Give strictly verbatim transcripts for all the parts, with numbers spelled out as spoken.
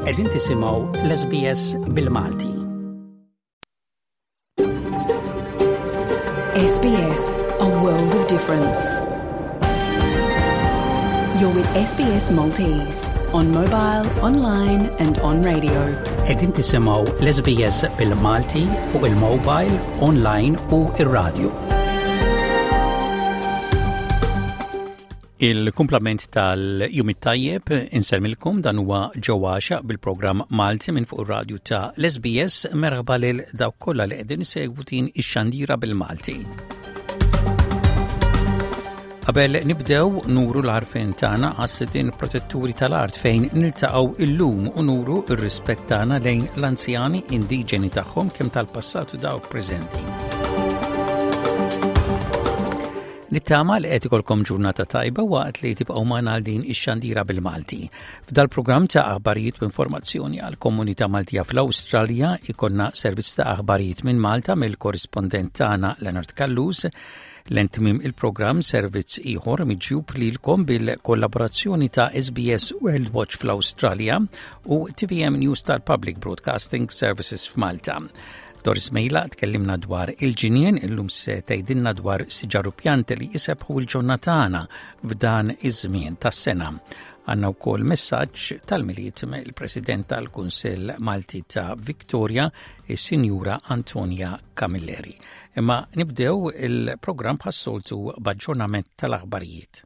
Qegħdin tisimgħu l-S B S bil-Malti. S B S, a world of difference. You're with S B S Maltese on mobile, online and on radio. Qegħdin tisimgħu l-S B S bil-Malti fuq il-mobile, online u ir-radio. Il-kumplament tal-jum it-tajjeb, insellmilkom, dan huwa ġewwaxa bil-programm Malti minn fuq ir-radju ta' l-S B S. Merħba lil dawk kollha li qegħdin isegwu din ix-xandira bil-Malti. Qabel nibdew, nuru l-għarfien tagħna għas-sidien protetturi tal-art fejn niltaqgħu illum u nuru r-rispett tagħna lejn l-anzjani indiġeni tagħhom, kemm tal-passat u dawk preżenti. Nittama li qed ikolkom ġurnata tajba waqt li tibqgħu magħna għal din ix-xandira bil-Malti. F'dal-programm ta' aħbarijiet u informazzjoni għal komunità Maltija fl-Awstralja ikollna servizz ta' aħbarijiet minn Malta mill-korrispondent tagħna Leonard Callus. Lejn tmiem il-programm, servizz ieħor miġjub lilkom bil-kollaborazzjoni ta' S B S World Watch fl-Awstralja u T V M News tal-Public Broadcasting Services f'Malta. Doris Mejla tkellimna dwar il-ġinien, illum se tgħidilna dwar siġar u pjanti li jsebbħu l-ġonna tagħna f'dan iż-żmien tas-sena. Għandna wkoll messaġġ tal-Milied mill-President tal-Kunsill Malti ta' Victoria, is-Sinjura Antonia Camilleri. Imma nibdew il-programm bħas-soltu b'aġġornament tal-aħbarijiet.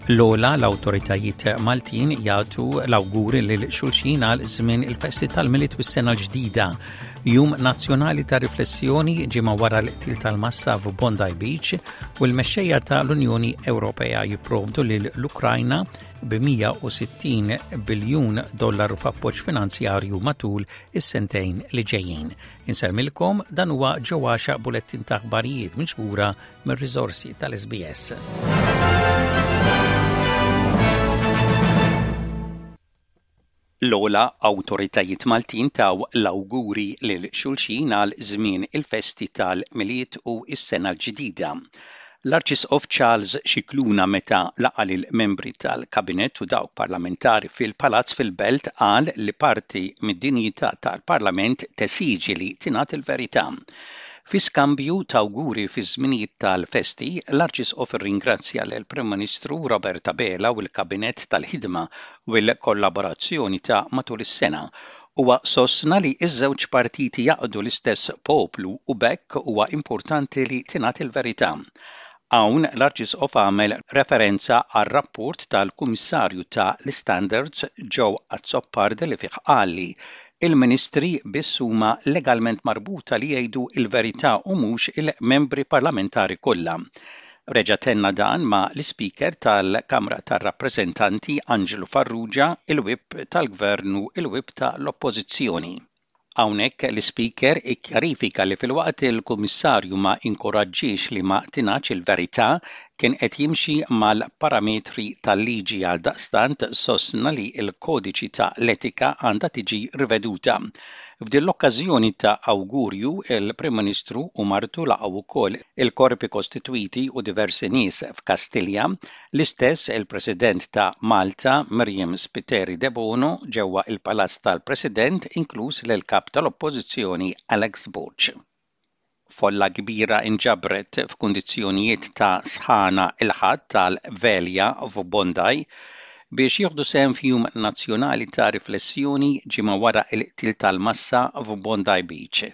L-ola l-autoritajiet Maltin jagħtu l-awguri lil xulxin għal żmien il-festi tal-Milied u s-sena l-ġdida. Jum nazzjonali ta' riflessjoni ġimgħa wara l-qtil tal-massa f'Bondi Beach u l-mexxejja tal-Unjoni Ewropea jipprovdu lil l-Ukrajna bi mija u sittin biljun dollaru f'appoġġ finanzjarju matul is-sentejn li ġejjin. Insellmilkom, dan huwa ġewwaxa bulettin ta' aħbarijiet miġbura mir-riżorsi tal-S B S. L-ola awtoritajiet Maltin taw l-awguri lil xulxin għal żmien il-festi tal-Milied u s-sena l-ġdida. L-Arċisqof Charles Scicluna, meta laqa lil membri tal-Kabinett u dawk parlamentari fil-Palazz fil-Belt, qal li parti mid-dinjità tal-Parlament tesiġi li tingħad il-verità. Fi skambju ta' awguri fi żminijiet tal-festi, l-Arċisqof irringrazzja lill Prim Ministru Robert Abela u l-Kabinett tal-ħidma u l-kollaborazzjoni ta' matul is-sena. Huwa sostna li ż-żewġ partiti jaqdu l-istess poplu u b'hekk huwa importanti li tingħad il-verità. Hawn l-Arċisqof għamel referenza għar rapport tal-Kummissarju ta' l-Standards Joe Azzopardi li fih qal li il-ministri biss huma legalment marbuta li jgħidu il-verità u mhux il-membri parlamentari kollha. Reġa' tenna dan ma' l-Ispeaker tal-Kamra tar-Rappreżentanti Angelo Farrugia, il-Whip tal-Gvern u il-Whip tal-Oppożizzjoni. Hawnhekk l-Ispeaker ikkjarifika li filwaqt il-Kummissarju ma inkoraġġix li ma tingħadx il-verità, kien qed jimxi mal-parametri tal-liġi. Għal daqstant sostna li l-kodiċi ta' l-etika għandha tiġi riveduta. F'din l-okkażjoni ta' awgurju, il-Prim Ministru u martu laqgħu wkoll il-korpi kostitwiti u diversi nies f'Kastilja, l-istess il-President ta' Malta Myriam Spiteri Debono ġewwa il-Palazz tal-President, inkluż l-Kap tal-Oppożizzjoni Alex Borg. Folla kbira inġabret f'kundizzjonijiet ta' sħana il-Ħadd tal-Velja f'Bondi biex jieħdu sehem f'jum nazzjonali ta' riflessjoni ġimgħa wara l-qtil tal-massa f'Bondi Beach.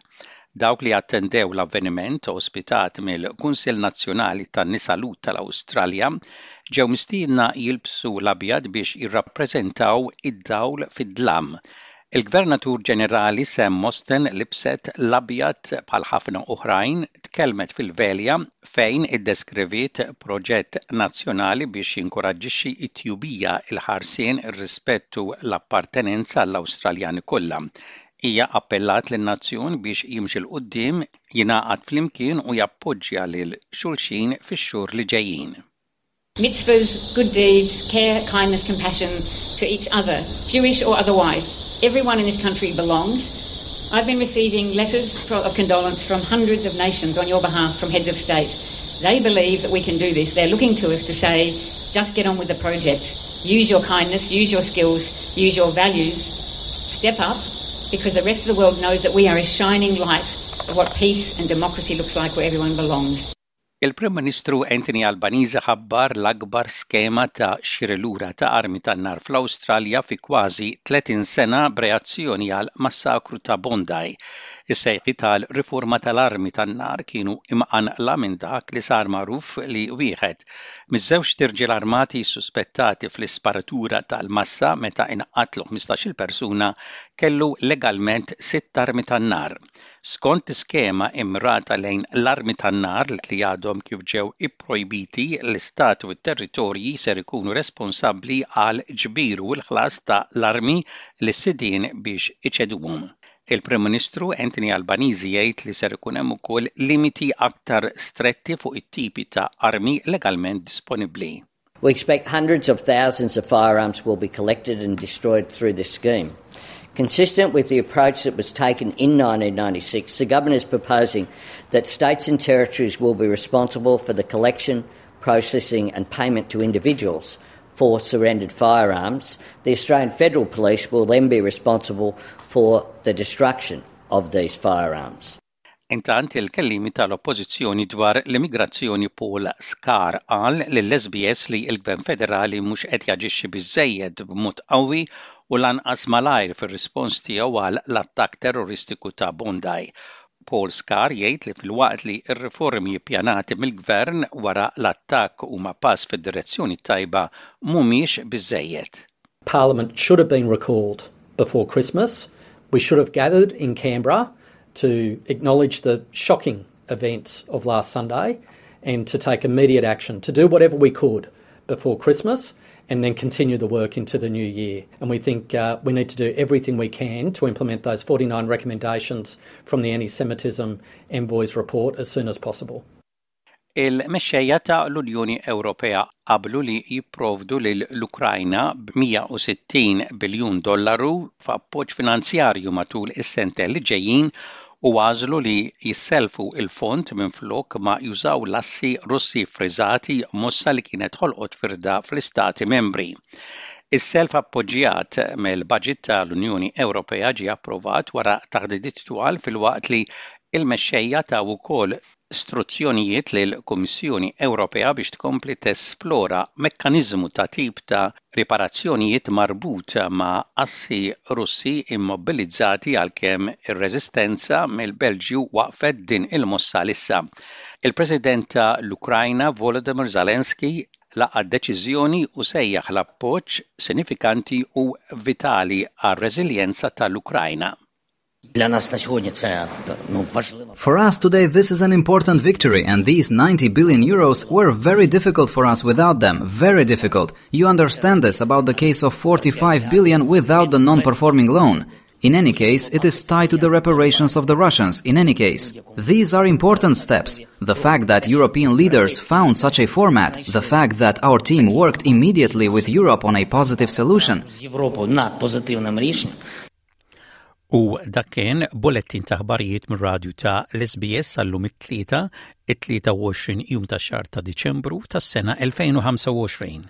Dawk li attendew l-avveniment ospitat mill-Kunsill Nazzjonali tan-Nisa Lhud tal-Awstralja ġew mistiedna jilbsu l-abjad biex jirrappreżentaw id-dawl fid-dlam. Il-Gvernatur Ġenerali Sam Mostyn libset l-abjad bħal ħafna oħrajn, tkellmet fil-velja fejn iddeskriviet proġett nazzjonali biex jinkoraġġixxi t-tjubija, il-ħarsien, ir-rispett u l-appartenenza għall-Awstraljani kollha. Hija appellat lin-nazzjon biex jimxi 'l quddiem, jingħaqad flimkien u jappoġġja lil xulxin fix-xhur li ġejjin. Mitzvahs, good deeds, care, kindness, compassion to each other, Jewish or otherwise. Everyone in this country belongs. I've been receiving letters of condolence from hundreds of nations on your behalf, from heads of state. They believe that we can do this. They're looking to us to say, just get on with the project. Use your kindness, use your skills, use your values. Step up, because the rest of the world knows that we are a shining light of what peace and democracy looks like where everyone belongs. Il-Prim Ministru Anthony Albanese ħabbar l-akbar skema ta' xiri lura ta' armi tan-nar fl-Awstralja fi kważi tletin sena b'reazzjoni għal massakru ta' Bondi. Is-sejħi tal-riforma tal-armi tan-nar kienu imqanqla minn dak li sar magħruf li wieħed miż-żewġ irġiel armati suspettati fl-isparatura tal-massa meta inqatlu ħmistax-il persuna kellu legalment sitt armi tan-nar. Skont skema immirata lejn l-armi tan-nar li għadhom kif ġew ipprojbiti, l-istat u t-territorji ser ikunu responsabbli għal ġbir u l-ħlas ta' l-armi lis-sidien biex iċeduhom. Il-Prim Ministru Anthony Albanese jgħid li ser ikun hemm ukoll limiti aktar stretti fuq it-tipi ta' armi legalment disponibbli. We expect hundreds of thousands of firearms will be collected and destroyed through this scheme. Consistent with the approach that was taken in nineteen ninety-six, the government is proposing that states and territories will be responsible for the collection, processing and payment to individuals for surrendered firearms. The Australian Federal Police will then be responsible for the destruction of these firearms. Intant il-kellimi tal-Oppożizzjoni dwar l-immigrazzjoni Paul Scarr qal lill-S B S li l-Gvern Federali mhux qed jaġixxi biżżejjed b'mod qawwi u lanqas malajr fir-rispons tiegħu għal l-attakk terroristiku ta' Bondi. Paul Scarr jgħid li filwaqt li r-riformi ppjanati mill-Gvern wara l-attakk huma pass fid-direzzjoni tajba mhumiex biżżejjed. Parliament should have been recalled before Christmas. We should have gathered in Canberra to acknowledge the shocking events of last Sunday and to take immediate action, to do whatever we could before Christmas and then continue the work into the new year. And we think, uh, we need to do everything we can to implement those forty-nine recommendations from the Anti-Semitism Envoy's report as soon as possible. Il-mexxejja ta' l-Unjoni Ewropea qablu li jipprovdu lil l-Ukrajna b'mija u sittin biljun dollaru f'appoġġ finanzjarju matul is-sentejn li ġejjin u għażlu li jisselfu il-fond minflok ma jużaw l-assi Russi friżati, mossa li kienet ħolqot firda fl-Istati Membri. Is-self appoġġjat mill-budget tal-Unjoni Ewropea ġie approvat wara taħdidiet twal filwaqt li il-mexxejja taw ukoll struzzjonijiet lill-Kummissjoni Ewropea biex tkompli tesplora mekkaniżmu ta' tip ta' riparazzjonijiet marbut ma' assi Russi immobilizzati għalkemm ir-reżistenza mill-Belġju waqfet din il-mossa lissa. Il-President ta' l-Ukrajna Volodymyr Zelensky laqa' deċiżjoni u sejjaħ l-appoġġ sinifikanti u vitali għar-reżiljenza tal-Ukrajna. Для нас на сегодня це, ну, важливо. For us today this is an important victory, and these ninety billion euros were very difficult for us without them, very difficult. You understand this about the case of forty-five billion without the non-performing loan. In any case, it is tied to the reparations of the Russians, in any case. These are important steps. The fact that European leaders found such a format, the fact that our team worked immediately with Europe on a positive solution. З Європою над позитивним рішенням. U dak kien bulletin ta' aħbarijiet mir-radju ta' l-S B S għallum it-tlieta, it-tlieta u għoxrin jum ta' xahar ta' Diċembru tas-sena elfejn u ħamsa u għoxrin.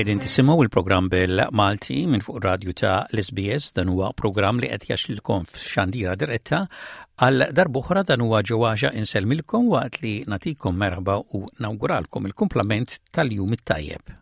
Qegħdin tisimgħu il-programm bil-Malti minn fuq radju ta' l-S B S. Dan huwa programm li qed jaxlilkom f'xandira diretta. Għal darb'oħra dan huwa ġewwaġa insellmilkom waqt li nagħtikom merħba u nawguralkom il-kumplament tal-jum it-tajjeb.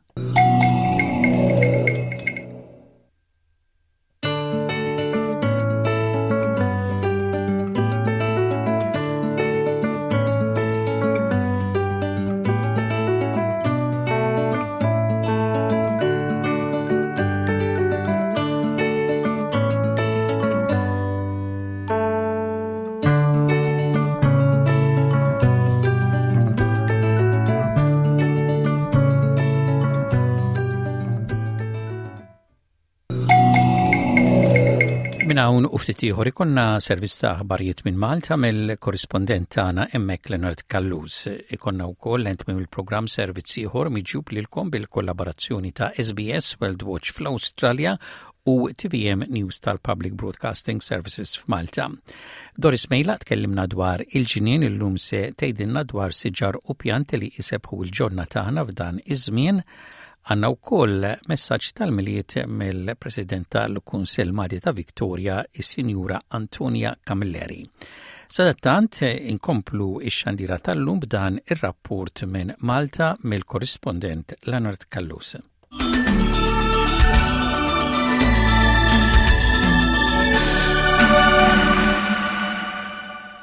Minn hawn u ftit ieħor ikollna servizz ta' aħbarijiet minn Malta mill-korrispondent tagħna hemmhekk Leonard Callus. Ikollna wkoll lent minn il-programm servizz ieħor miġjub lilkom bil-kollaborazzjoni ta' S B S World Watch fl-Awstralja u T V M News tal-Public Broadcasting Services f'Malta. Doris Mejla tkellimna dwar il-ġinien, illum se tgħidilna dwar siġar u pjanti li jsebbħu l-ġonna tagħna f'dan iż-żmien. Għandna wkoll messaġġ tal-Milied mill-President tal-Kunsill Malti ta' Victoria, is-Sinjura Antonia Camilleri. Sadattant inkomplu ix-xandira tal-lum b'dan ir-rapport minn Malta mill-korrispondent Leonard Callus.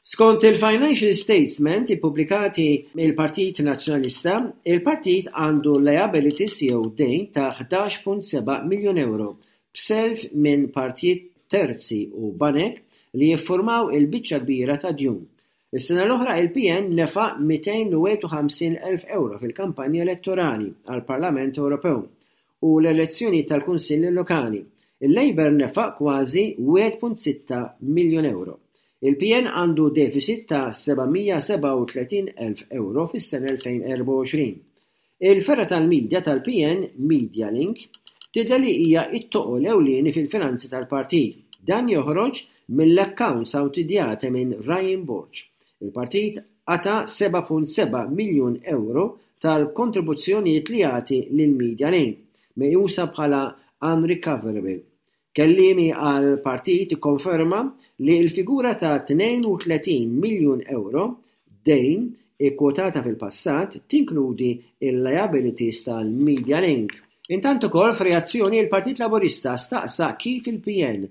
Skont il-Financial Statement ippubblikati mill-Partit Nazzjonalista, il-partit għandu liabilities jew dejn ta' ħdax punt seba' miljun euro b'self minn partijiet terzi u banek li jiffurmaw il-biċċa kbira ta' djun. Is-sena l-oħra il-P N nefaq mitejn u wieħed u ħamsin elf euro fil-kampanja elettorali għall-Parlament Ewropew u l-elezzjoni tal-Kunsilli Lokali. Il-Labour nefaq kważi wieħed punt sitta miljun euro. Il-P N għandu deficit ta' seba' mija u sebgħa u tletin elf euro fis-sena elfejn u erbgħa u għoxrin. Il-fergħa tal-medja tal-P N Media Link tidher li hija t-toqol ewlieni fil-finanzi tal-partit. Dan joħroġ mill-accounts awditjati minn Ryan Borg. Il-partit qata' seba' punt seba' miljun euro tal-kontribuzzjonijiet li jagħti lil Media Link, meqjusa bħala unrecoverable. Kelliemi għal partit ikkonferma li l-figura ta' tnejn u tletin miljun euro dejn ikkwotata fil-passat tinkludi il-liabilities tal-Media Link. Intant ukoll, f'reazzjoni, il-Partit Laburista staqsa kif il-P N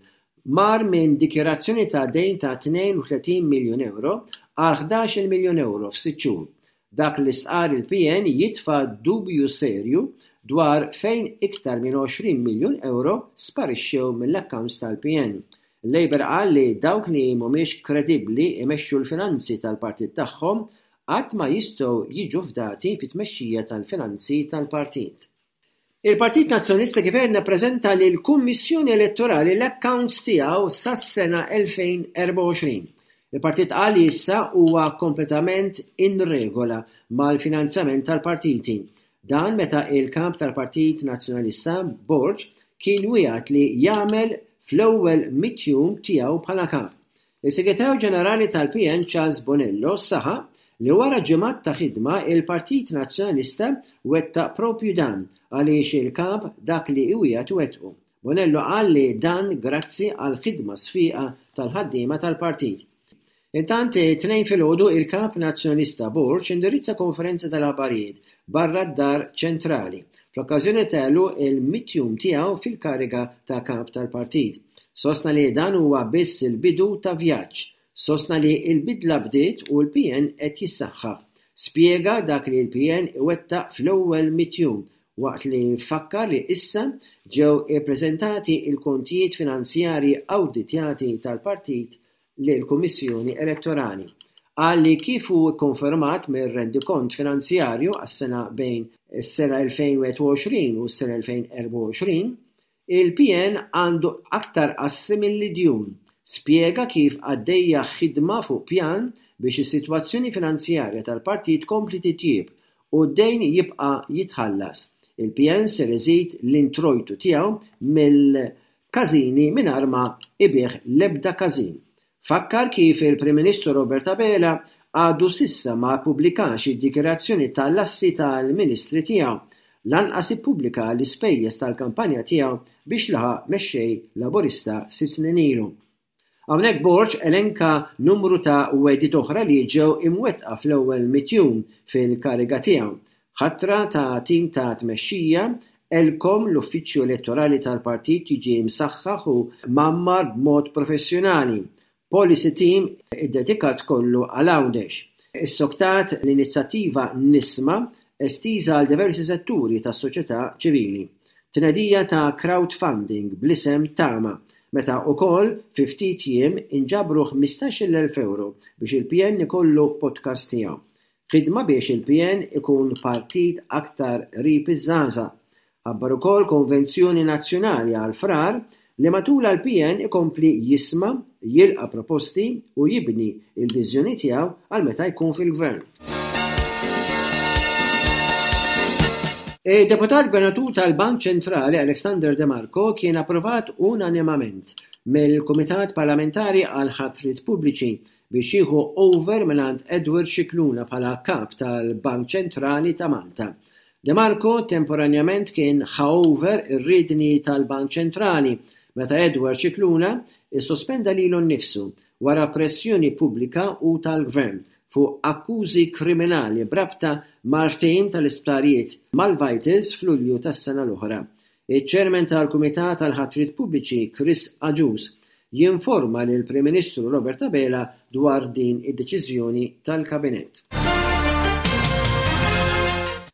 mar minn dikjarazzjoni ta' dejn ta' tnejn u tletin miljun euro għal ħdax-il miljun euro f'sitt xhur. Dak li stqar il-P N jitfa' dubju serju dwar fejn iktar minn għoxrin miljun euro sparixxew mill-accounts tal-P N. Il-Labour qal li dawk li mhumiex kredibbli imexxu l-finanzi tal-partit tagħhom qatt ma jistgħu jiġu fdati fit-tmexxija tal-finanzi tal-partit. Il-Partit Nazzjonalista Gvern ppreżenta lill-Kummissjoni Elettorali l-accounts tiegħu sas-sena elfejn u erbgħa u għoxrin. Il-partit qal li issa huwa kompletament in regola mal-finanzjament tal-partiti. Dan meta il-kap tal-Partit Nazzjonalista Borg kien wiegħed li jagħmel fl-ewwel mitt jum tiegħu bħala kap. Il-Segretarju Ġenerali tal-P N Charles Bonello saħaq li wara ġimgħat ta' ħidma il-Partit Nazzjonalista wettaq propju dan, għaliex il-kap dak li iwiegħed iwettqu. Bonello qal li dan grazzi għal ħidma sfiqa tal-ħaddiema tal-partit. Intant, it-Tnejn filgħodu il-kap Nazzjonalista Borg indirizza konferenza tal-aħbarijiet barra d-Dar Ċentrali fl-okkażjoni ta' il-mitt jum tiegħu fil-kariga ta' kap tal-partit. Sostna li dan huwa biss il-bidu ta' vjaġġ. Sostna li l-bidla bdiet u l-P N qed jissaħħaħ. Spjega dak li l-P N iwettaq fl-ewwel mitt jum waqt li fakkar li issa ġew ippreżentati il-kontijiet finanzjarji awditjati tal-partit lill-Kummissjoni Elettorali. Qal li kif hu kkonfermat mir-rendikont finanzjarju għas-sena bejn is-sena elfejn u wieħed u għoxrin u s-sena elfejn u erbgħa u għoxrin, il-P N għandu aktar assi milli djun. Spjega kif għaddejja ħidma fuq pjan biex is-sitwazzjoni finanzjarja tal-partit tkompli titjib u d-dejn jibqa' jitħallas. Il-P N ser iżid l-introjtu tiegħu mill-każini mingħajr ma jbigħ l-ebda każin. Fakkar kif il-Prim Ministru Robert Abela għadu s'issa ma ppubblikax id-dikjarazzjoni tal-assi tal-Ministri tiegħu, lanqas ippubblika l-ispejjeż tal-kampanja tiegħu biex laħaq mexxej Laburista sitt snin ilu. Hawnhekk Borg elenka numru ta' wegħdiet oħra li ġew imwettqa fl-ewwel mitt jum fil-kariga tiegħu. Ħatra ta' tim ta' tmexxija, ELCOM, l-uffiċċju elettorali tal-partit, jiġi msaħħaħ u mgħammar b'mod professjonali. Policy team iddedikat kollu għal Għawdex. Issoktat l-inizjattiva Nisma estiża għal diversi setturi tas-soċjetà ċivili. Tnedija ta' crowdfunding bl-isem Tama, meta wkoll fi ftit jiem inġabru ħmistax-il elf euro biex il-P N ikollu podcast tiegħu. Ħidma biex il-P N ikun partit aktar qrib iż-żgħażagħ. Ħabbar ukoll konvenzjoni nazzjonali għal Frar. li matulha l-P N ikompli jisma', jilqa' proposti u jibni il-viżjoni tiegħu għal meta jkun fil-gvern. Il-deputat gvernatur tal-Bank Ċentrali Alexander De Marco kien approvat unanimament mill-Kumitat Parlamentari għal Ħatriet Pubbliċi biex jieħu over mingħand Edward Scicluna bħala kap tal-Bank Ċentrali ta' Malta. De Marco temporanjament kien ħa over ir-riedni tal-Bank Ċentrali meta Edward Scicluna issospenda lilu nnifsu wara pressjoni pubblika u tal-gvern fuq akkużi kriminali b'rabta mal-ftehim tal-isptarijiet mal-Vitals f'Lulju tas-sena l-oħra. Iċ-Chairman tal-Kumitat tal-Ħatriet Pubbliċi Chris Agius jinforma lil Prim Ministru Robert Abela dwar din id-deċiżjoni tal-Kabinett.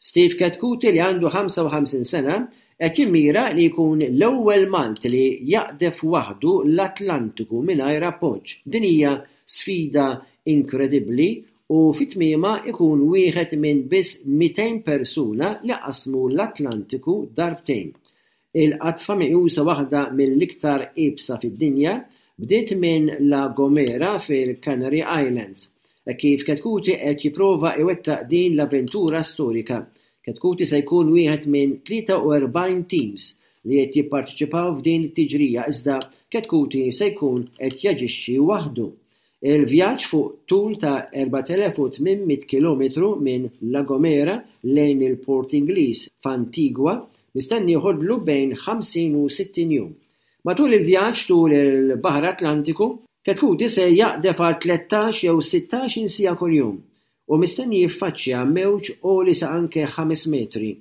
Steve Chetcuti, li għandu ħamsa u ħamsin sena, qed jimmira li jkun l-ewwel Malti li jaqdef waħdu l-Atlantiku mingħajr appoġġ. Din hija sfida inkredibbli u fi tmiemha ikun wieħed minn biss mitejn persuna li qasmu l-Atlantiku darbtejn. Il-qatfa, meqjusa waħda mill-iktar iebsa fid-dinja, bdiet minn La Gomera fil-Canary Islands. E kif Chetcuti qed jipprova iwettaq din l-avventura storika. Chetcuti se jkun wieħed minn tlieta u erbgħin teams li qed jipparteċipaw f'din it-tiġrija, iżda Chetcuti se jkun qed jaġixxi waħdu. Il-vjaġġ fuq tul ta' erbat elef u tmien mitt kilometru minn La Gomera lejn il-Port Ingliż f'Antigua mistenni joħodlu bejn ħamsin u sittin jum. Matul il-vjaġġ tul il-Baħar Atlantiku, Chetcuti se jaqdef għal tlettax jew sittax-il siegħa kuljum u mistenni jiffaċċja mewġ għoli sa anke ħames metri.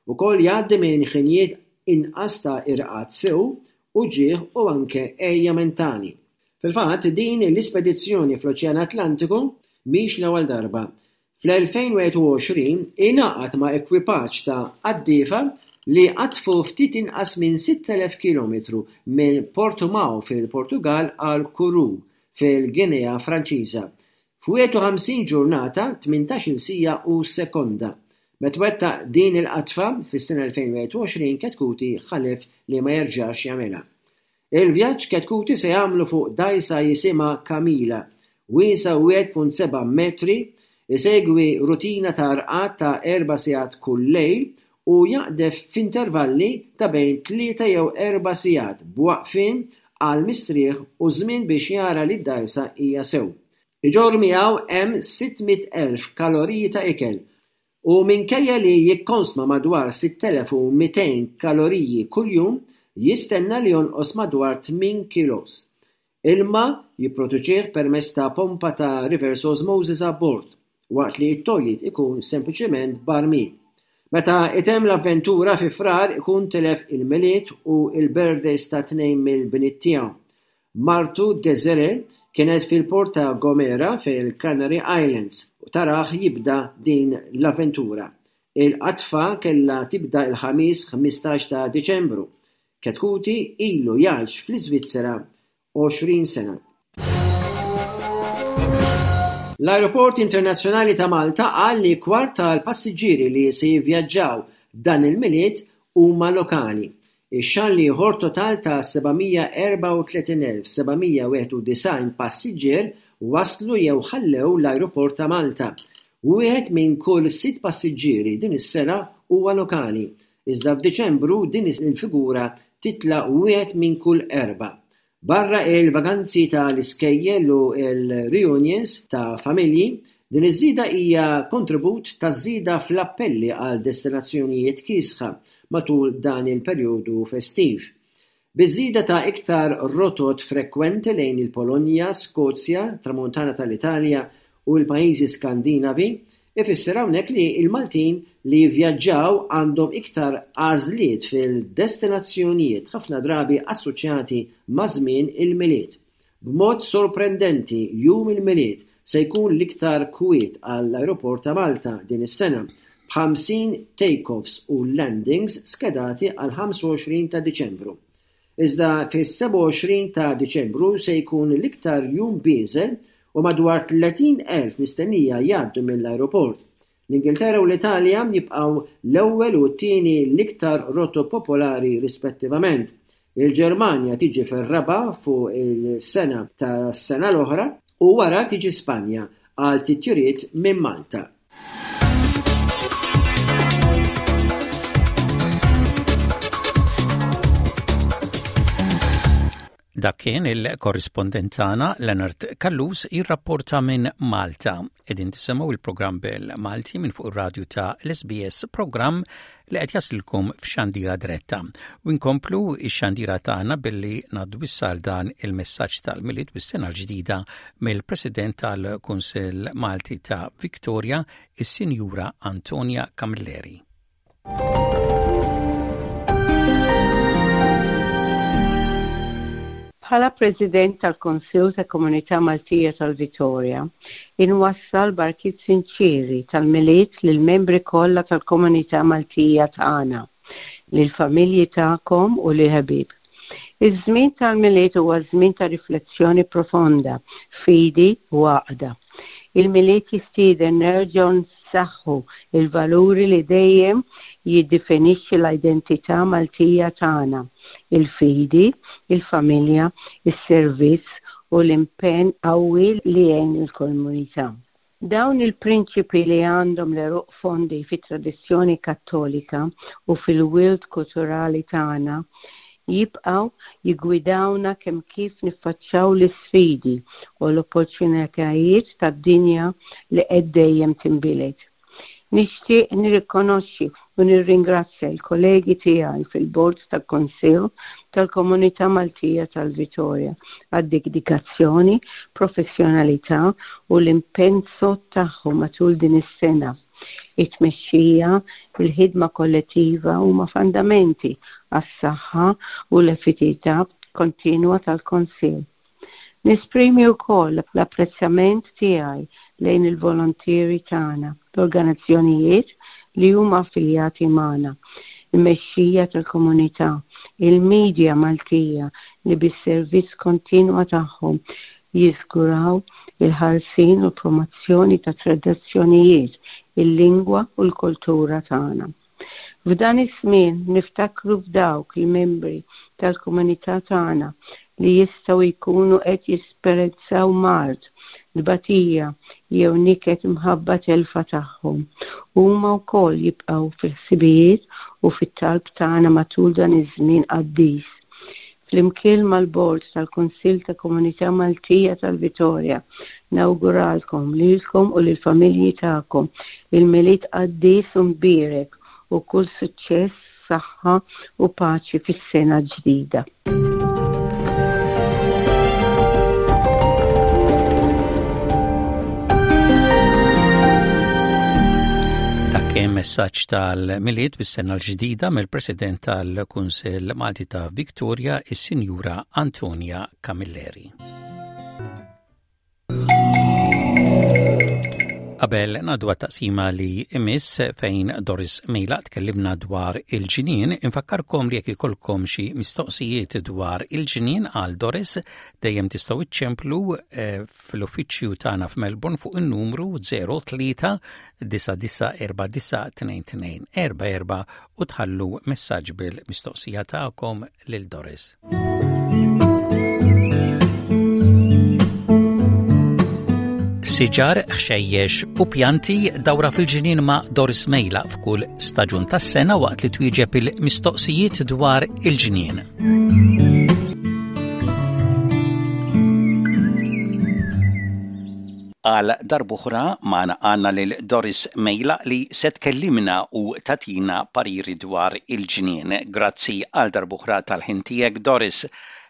Ukoll jgħaddi minn ħinijiet inqas ta' irqad sew, uġigħ u anke għeja mentali. Fil-fatt, din l-ispedizzjoni fl-Oċean Atlantiku mhix l-ewwel darba. Fl-elfejn u wieħed u għoxrin ingħaqad ma' ekwipaġġ ta' qaddiefa li qadfu ftit inqas minn sitt elef kilometru minn Portimao fil-Portugal għal Kourou fil-Ginea Franċiża f'wieħed u ħamsin ġurnata, tmintax-il siegħa u sekonda. Meta wettaq din il-qatfa fis-sena elfejn u wieħed u għoxrin, Chetcuti ħalef li ma jerġax jagħmilha. Il-vjaġġ Chetcuti se jagħmlu fuq dgħajsa jisimha Camila, wiesgħa wieħed punt seba' metri, isegwi rutina ta' rqad ta' erba' sigħat kull lejl u jaqdef f'intervalli ta' bejn tlieta jew erba' sigħat b'waqfien għal mistrieħ u żmien biex jara li d-dgħajsa hija sew. Iġorr miegħu hemm sitt mitt elf kaloriji ta' ikel u minkejja li jikkonsma madwar sitt elef u mitejn kaloriji kuljum, jistenna li jonqos madwar tmien kilos. Ilma jipproduċih permezz ta' pompa ta' reverse osmosis abbord, waqt li t-toilet ikun sempliċement barmil. Meta itemm l-avventura fi Frar, ikun tilef il-Milied u il-birthdays ta' tnejn mill-bniet tiegħu. Martu Desiree kienet fil-port ta' Gomera fil-Canary Islands u tarah jibda din l-avventura. Il-qatfa kella tibda il-Ħamis ħmistax ta' Diċembru. Chetcuti ilu jgħix fl-Iżvizzera għoxrin sena. L-Aeroport Internazzjonali ta' Malta qal li kwart tal-passiġġieri li se jivvjaġġaw dan il-Milied huma lokali. Ix-xahar l-ieħor, total ta' seba' mija erbgħa u tletin elf seba' mija wieħed u disgħin passiġġier waslu jew ħallew l-Aeroport ta' Malta. Wieħed minn kull sitt passiġġieri din is-sena huwa lokali. Iżda f'Diċembru din il-figura titla' wieħed minn kull erba'. Barra il-vaganzi tal-iskejjel u il-reunions ta' familji, din iż-żieda hija kontribut ta' żieda fl-appelli għal destinazzjonijiet kiesħa matul dan il-perjodu festiv. Biż-żieda ta' iktar rotot frekwenti lejn il-Polonja, Skozja, Tramuntana tal-Italja u l-pajjiżi Skandinavi, ifisser hawnhekk li l-Maltin li jivvjaġġaw għandhom iktar għażliet fil-destinazzjonijiet ħafna drabi assoċjati ma' żmien il-Milied. B'mod sorprendenti, jum il-Milied se jkun l-iktar kwiet għall-Aeroport ta' Malta din is-sena, b'ħamsin take-offs u landings skedati għal ħamsa u għoxrin ta' Diċembru. Iżda fis-sebgħa u għoxrin ta' Diċembru se jkun l-iktar jum bieżel u madwar tletin elf mistennija jgħaddu mill-aeroport. L-Ingilterra u l-Italja jibqgħu l-ewwel u t-tieni l-iktar rotot popolari rispettivament. Il-Ġermanja tiġi fir-raba' fuq il-sena tas-sena l-oħra u wara tiġi Spanja għal titjiriet minn Malta. Dak kien il-korrispondent tagħna Leonard Callus jirrapporta minn Malta. Qegħdin tisimgħu il-programm bil-Malti minn fuq ir-radju ta' l-S B S, programm li qed jaslilkom f'xandira diretta. U nkomplu x-xandira tagħna billi ngħaddu dan il-messaġġ tal-Milied bis-sena l-ġdida mill-President tal-Kunsill Malti ta' Victoria, is-Sinjura Antonia Camilleri. Bħala President tal-Konsil ta' Komunità Maltija tal-Vitorja, inwassal barkiet sinċiri tal-Milied lill-membri kollha tal-Komunità Maltija tagħna, lill-familji tagħkom u lill-ħbieb. Iż-żmien tal-Milied huwa żmien ta' riflessjoni profonda, fidi u għaqda. Il-Milied jistieden nerġgħu nsaħħu il-valuri li dejjem jiddefinixxi l-identità Maltija tagħna: il-fidi, il-familja, is-servizz u l-impenn qawwi li jgħin il-komunità. Dawn il-prinċipi, li għandhom l-għeruq fondi fit-tradizzjoni Kattolika u fil-wirt kulturali tagħna, jibqgħu jiggwidawna kemm kif niffaċċjaw l-isfidi u l-opportunitajiet tad-dinja li qed dejjem tinbidel. Nixtieq nirrikonoxxi u nirringrazzja l-kollegi tiegħi fil-Bord tal-Kunsill tal-Komunità Maltija tal-Vitorja għad-dedikazzjoni, professjonalità u l-impenn tagħhom matul din is-sena. It-tmexxija, il-ħidma kollettiva huma fondamenti għas-saħħa u l-effettività kontinwa tal-Kunsill. Nesprimi wkoll l-apprezzament tiegħi lejn il-volontieri tagħna, l-organizzazzjonijiet li huma affiljati magħna, il-mexxija tal-komunità, il-medja Maltija li bis-servizz kontinwa tagħhom jiżguraw il-ħarsien u l-promozzjoni ta' tradizzjonijiet, il-lingwa u l-kultura tagħna. F'dan iż-żmien niftakru f'dawk il-membri tal-komunità tagħna li jistgħu jkunu qed jesperjenzaw mard, tbatija jew niket minħabba telfa tagħhom. Huma wkoll jibqgħu fil-ħsibijiet u fit-talb tagħna matul dan iż-żmien qaddis. Flimkien mal-Bord tal-Kunsill ta' Komunità Maltija tal-Vitorja, nawguralkom lilkom u lill-familji tagħkom il-Milied qaddis u mbierek u kull suċċess, saħħa u paċi fis-sena ġdida. Kien messaġġ tal-Milied bis-sena l-ġdida mill-President tal-Kunsill Malti ta' Victoria, is-Sinjura Antonia Camilleri. Qabel ngħaddu taqsima li imiss fejn Doris Mejlaq tkellimna dwar il-ġinien, infakkarkom li jekk ikolkom xi mistoqsijiet dwar il-ġinien għal Doris, dejjem tistgħu iċċemplu eh, fl-uffiċċju tagħna f'Melbourne fuq in-numru zero tlieta disa' disa' erba' disa' tnejn tnejn erba' erba' u tħallu messaġġ bil-mistoqsija tagħkom lil Doris. Siġar, ħxejjex u pjanti, dawra fil-ġinien ma' Doris Mejlaq f'kull staġun tas-sena waqt li twieġeb il-mistoqsijiet dwar il-ġnien. Għal darb'oħra magħna għandna lil Doris Mejlaq li se tkellimna u tagħtina pariri dwar il-ġnien. Grazzi għal darb'oħra tal-ħin tiegħek, Doris.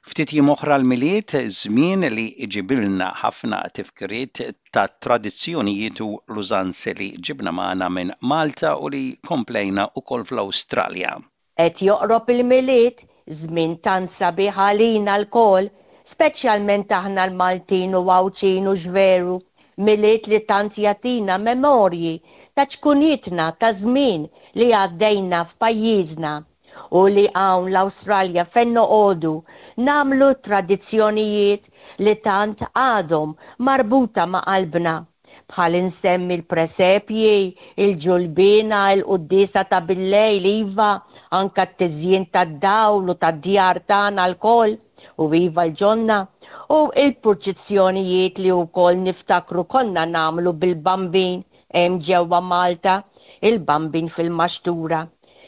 Ftit jiem oħra l-Milied, żmien li jġibilna ħafna tifkiriet ta' tradizzjonijiet u l-użanzi li ġibna magħna minn Malta u li komplejna ukoll fl-Awstralja. Qed joqrob il-Milied, żmien tant sabiħ għalina lkoll, speċjalment aħna l-Maltin u Għawdxin u x'veru. Milied li tant jagħtina memorji ta' ċkunitna, ta' żmien li għaddejna f'pajjiżna u li hawn l-Awstralja fejn noqogħdu nagħmlu tradizzjonijiet li tant għadhom marbuta ma' qalbna. Bħal insemmi l-presepji, il-ġulbina, il-quddiesa ta' billejl, iva, anka t-tiżjin tad-dawl u tad-djar tagħna lkoll, u iva l-ġonna, u il-purċissjonijiet li wkoll niftakru konna nagħmlu bil-Bambin hemm ġewwa Malta, il-Bambin fil-maxtura.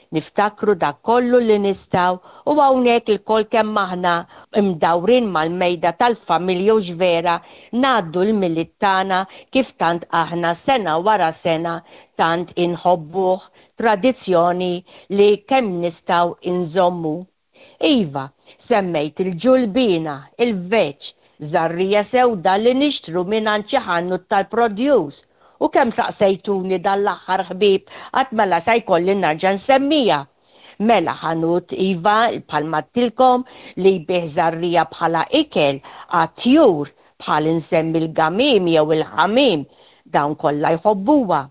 Niftakru dak kollu li nistgħu u hawnhekk ilkoll kemm aħna imdawrin mal-mejda tal-familja u vera ngħaddu l-Milied tagħna kif tant aħna sena wara sena tant inħobbuh, tradizzjoni li kemm nistgħu inżommu. Iva, semmejt il-ġulbina, il-vetch, żerriegħa sewda li nixtru minn xi ħanut tal-produce. U kemm saqsejtuni dan l-aħħar ħbieb, għad mela sa jkolli nerġa' nsemmija. Mela ħanut iva bħalma għedtilkom li jbigħ żerriegħa bħala ikel għat-tjur, bħal insemmi l-gamim jew il-ħamim, dawn kollha jħobbuha.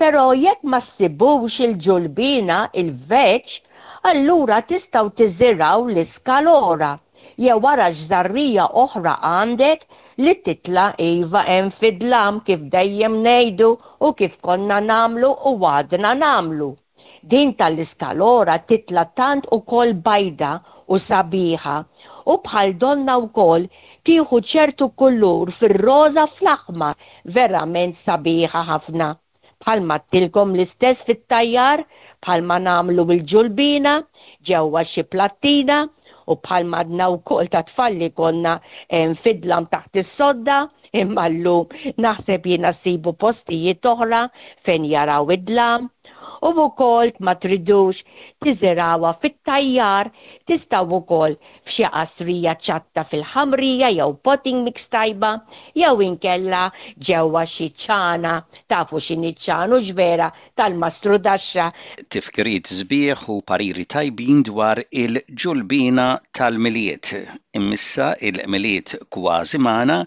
Però jekk ma ssibux il-ġulbina, il-vetch, allura tistgħu tiżirgħu l-iskalora jew wara żerriegħa oħra għandek li titla' iva hemm fid-dlam, kif dejjem ngħidu u kif konna nagħmlu u għadna nagħmlu. Din tal-iskalora titla' tant ukoll bajda u sabiħa u bħal donna wkoll tieħu ċertu kulur fir-roża, fl-aħmar, verament sabiħa ħafna. Bħalma għedtilkom, l-istess fit-tajjar, bħalma nagħmlu bil-ġulbina ġewwa xi plattina u bħalma għadna wkoll ta' tfal li konna fid-dlam taħt is-sodda, imma llum naħseb jiena ssibu postijiet oħra fejn jaraw id-dlam. U wkoll ma tridux tiżirgħuha fit-tajjar, tistgħu wkoll f'xi qasrija ċatta fil-ħamrija jew potting mix tajba jew inkella ġewwa xi ċana, tafu x'inhi ċana, vera, tal-mastrudaxxa. Tifkiriet sbieħ u pariri tajbin dwar il-ġulbina tal-Milied. Immissa il-Milied kważi magħna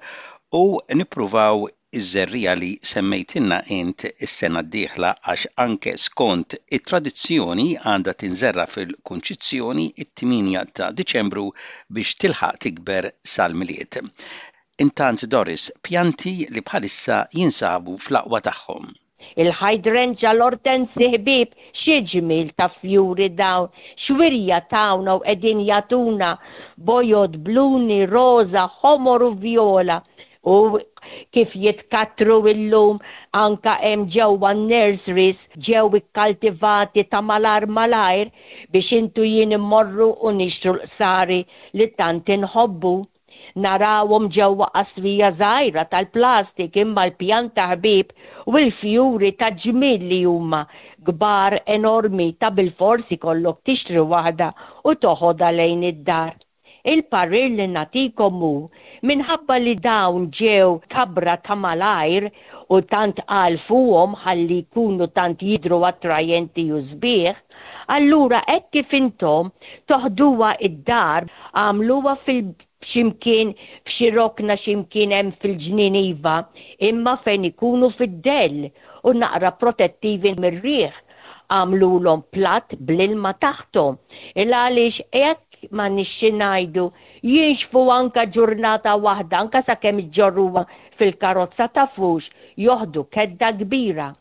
u nippruvaw iż-żerriegħa li semmejtilna int is-sena d-dieħla, għax anke skont it-tradizzjoni għandha tinżerra fil-Kunċizzjoni, it-tmienja ta' Diċembru, biex tilħaq tikber sal-Milied. Intant Doris, pjanti li bħalissa jinsabu fl-aqwa tagħhom. Il-hydrangea, l-ortensi ħbieb, xi ġmiel ta' fjuri dawn, x'wirja tawna u qegħdin jagħtuna, bojod, bluni, roża, ħomor u viola. U kif jitkattru illum anka hemm ġewwa nurseries, ġew ikkaltivati ta' malajr malajr biex intu jien immorru u nixtru l-qsari li tant inħobbu. Narawhom ġewwa qasrija żgħira tal-plastik, imma l-pjanta ħbieb u l-fjuri ta' ġmiel li huma kbar enormi, ta' bilfors ikollok tixtri waħda u toħodha lejn id-dar. Il-parir li nagħtikom hu, minħabba li dawn ġew kabra ta' malajr u tant għalfuhom ħalli jkunu tant jidru attrajenti u sbieħ, allura hekk kif intom toħduha id-dar, għamluha fil ximkien f'xi rokna ximkien hemm fil-ġnien iva, imma fejn ikunu fid-dell u naqra protettivi mir-riħ. Għamlulhom plat bl-ilma taħtom. Il għaliex hekk ma nixxi ngħidu jinxfu anka ġurnata waħda, anka sakemm iġġorruha fil-karozza, tafux joħdu kedda kbira.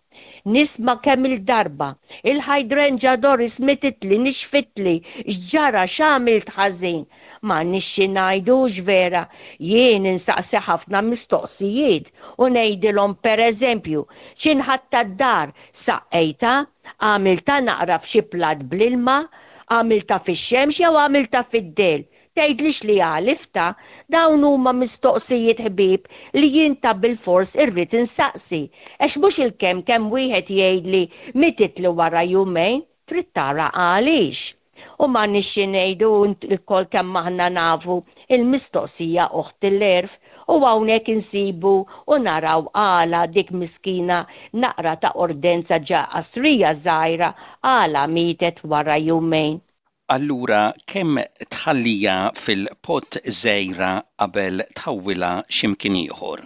Nisma' kemm il-darba, "Il-hydrangea Doris mititli, nixfitli, x'ġara, x'għamilt ħażin?" Ma nixxi ngħidu vera, jien insaqsi ħafna mistoqsijiet u ngħidilhom, pereżempju, x'ħin ħadtha d-dar, saqqejtha, għamiltha naqra f'xi plat bl-ilma, għamiltha fix-xemx jew għamiltha fid-dell? Tgħidlix li għaliftha. Dawn huma mistoqsijiet ħbieb li jien ta' bil-fors irrid insaqsi. Għax mhux il-kemm kemm wieħed jgħidli mititli wara jumejn, trid tara għaliex. U ma nixxi ngħidu, ilkoll kemm aħna nafu, il-mistoqsija oħt l-għerf, u hawnhekk insibu u naraw għala dik miskina naqra ta' ordenza ġo qasrija żgħira għala mietet wara jumejn. Allura kemm tħallija fil-pot żgħira qabel tħawwilha x'imkien ieħor?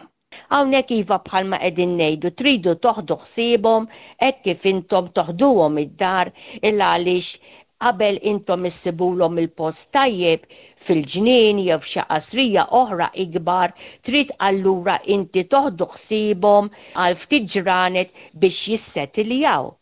Hawnhekk iva, bħalma qegħdin ngħidu, tridu toħdu ħsiebhom hekk kif intom toħduhom id-dar, il għaliex Qabel intom issibulhom il-post tajjeb fil-ġnien jew f'xi qasrija oħra ikbar, trid allura inti toħdu ħsiebhom għal ftit ġranet biex jissettiljaw.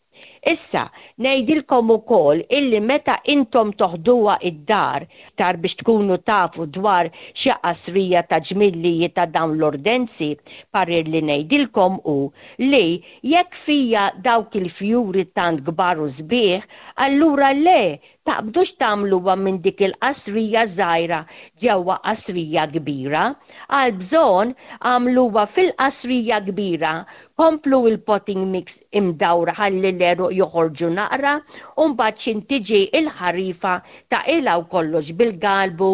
Issa, ngħidilkom ukoll illi meta intom toħduha id-dar tar biex tkunu tafu dwar xi qasrija ta' ġmillijiet ta' dawn l-ordenzi, parir li ngħidilkom hu li jekk fija dawk il-fjuri tant kbar u sbieħ, allura le taqbdux tagħmluha minn dik il-qasrija żgħira ġewwa qasrija kbira. Għal bżonn għamluha fil-qasrija kbira, komplu il-potting mix imdawra ħalli l-għeruq joħorġu naqra, u mbagħad x'ħin tiġi il-ħarifa taqilgħu kollox bil-galbu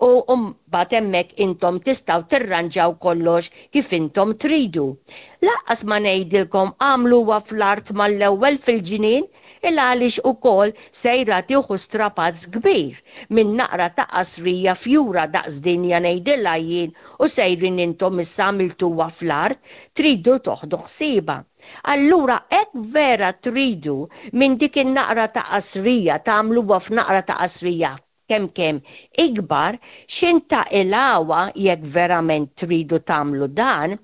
u mbagħad hemmhekk intom tistgħu tirranġaw kollox kif intom tridu. Lanqas ma ngħidilkom għamluha fl-art mal-ewwel fil-ġnien, il għaliex ukoll sejra tieħu strapazz kbir minn naqra ta' qasrija fjura daqs dinja ngħidilha jien u sejrin intom issa għamiltuha fl-art, tridu toħdu ħsiebha. Allura hekk vera tridu minn dik in-naqra ta' qasrija tagħmluha f'naqra ta' qasrija kemm kemm ikbar, x'ħin taqilgħuha jekk verament tridu tagħmlu dan,